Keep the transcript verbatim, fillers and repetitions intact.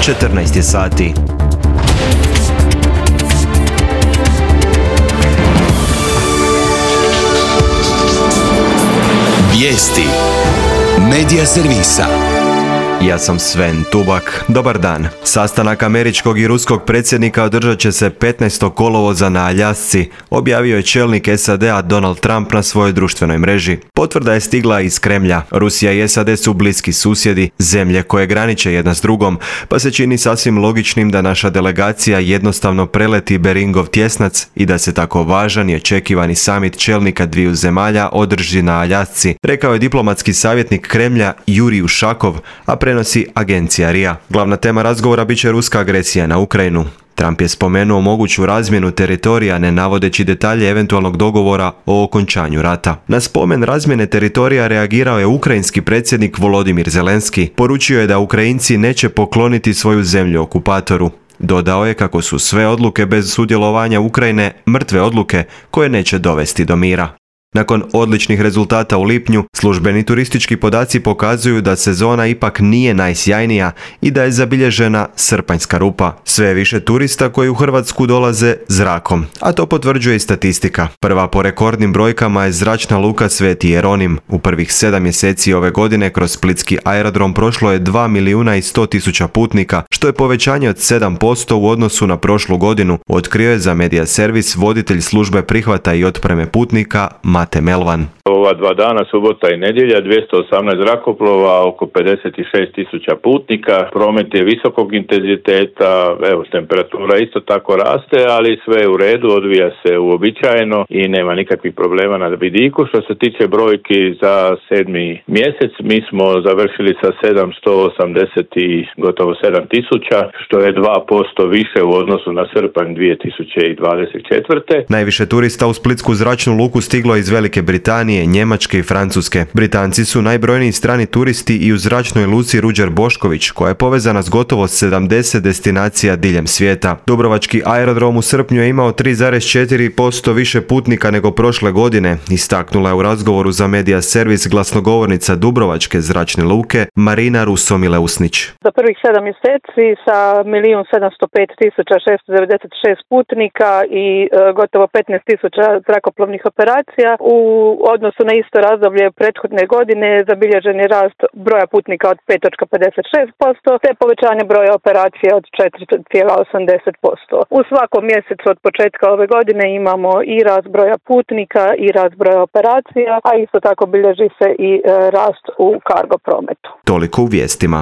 četrnaest je sati. Vijesti Medija servisa. Ja sam Sven Tubak. Dobar dan. Sastanak američkog i ruskog predsjednika održat će se petnaestog kolovoza na Aljasci, objavio je čelnik S A D-a Donald Trump na svojoj društvenoj mreži. Potvrda je stigla iz Kremlja. Rusija i S A D su bliski susjedi, zemlje koje graniče jedna s drugom, pa se čini sasvim logičnim da naša delegacija jednostavno preleti Beringov tjesnac i da se tako važan i očekivani samit čelnika dviju zemalja održi na Aljasci, rekao je diplomatski savjetnik Kremlja Jurij Ušakov, a prenosi agencija R I A. Glavna tema razgovora bit će ruska agresija na Ukrajinu. Trump je spomenuo moguću razmjenu teritorija ne navodeći detalje eventualnog dogovora o okončanju rata. Na spomen razmjene teritorija reagirao je ukrajinski predsjednik Volodimir Zelenski. Poručio je da Ukrajinci neće pokloniti svoju zemlju okupatoru. Dodao je kako su sve odluke bez sudjelovanja Ukrajine mrtve odluke koje neće dovesti do mira. Nakon odličnih rezultata u lipnju, službeni turistički podaci pokazuju da sezona ipak nije najsjajnija i da je zabilježena srpanjska rupa. Sve je više turista koji u Hrvatsku dolaze zrakom, a to potvrđuje i statistika. Prva po rekordnim brojkama je zračna luka Sveti Jeronim. U prvih sedam mjeseci ove godine kroz splitski aerodrom prošlo je dva milijuna i sto tisuća putnika, što je povećanje od sedam posto u odnosu na prošlu godinu, otkrio je za Medija servis voditelj službe prihvata i otpreme putnika Mate Melvan. Ova dva dana, subota i nedjelja, dvjesto osamnaest zrakoplova, oko pedeset šest tisuća putnika. Promet je visokog intenziteta, evo temperatura isto tako raste, ali sve je u redu, odvija se uobičajeno i nema nikakvih problema na vidiku. Što se tiče brojki za sedmi mjesec, mi smo završili sa sedamsto osamdeset i gotovo sedam tisuća, što je dva posto više u odnosu na srpanj dvije tisuće dvadeset četvrte. Najviše turista u splitsku zračnu luku stiglo iz Velike Britanije, Njemačke i Francuske. Britanci su najbrojniji strani turisti i u zračnoj luci Ruđer Bošković, koja je povezana s gotovo sedamdeset destinacija diljem svijeta. Dubrovački aerodrom u srpnju je imao tri zarez četiri posto više putnika nego prošle godine, istaknula je u razgovoru za Medija servis glasnogovornica Dubrovačke zračne luke Marina Ruso-Mileusnić. Za prvih sedam mjeseci sa milijun sedamsto pet tisuća šesto devedeset šest putnika i e, gotovo petnaest tisuća zrakoplovnih operacija, u odnosu na isto razdoblje prethodne godine zabilježen je rast broja putnika od pet zarez pedeset šest posto te povećanje broja operacija od četiri zarez osamdeset posto. U svakom mjesecu od početka ove godine imamo i rast broja putnika i rast broja operacija, a isto tako bilježi se i rast u kargo prometu. Toliko u vijestima.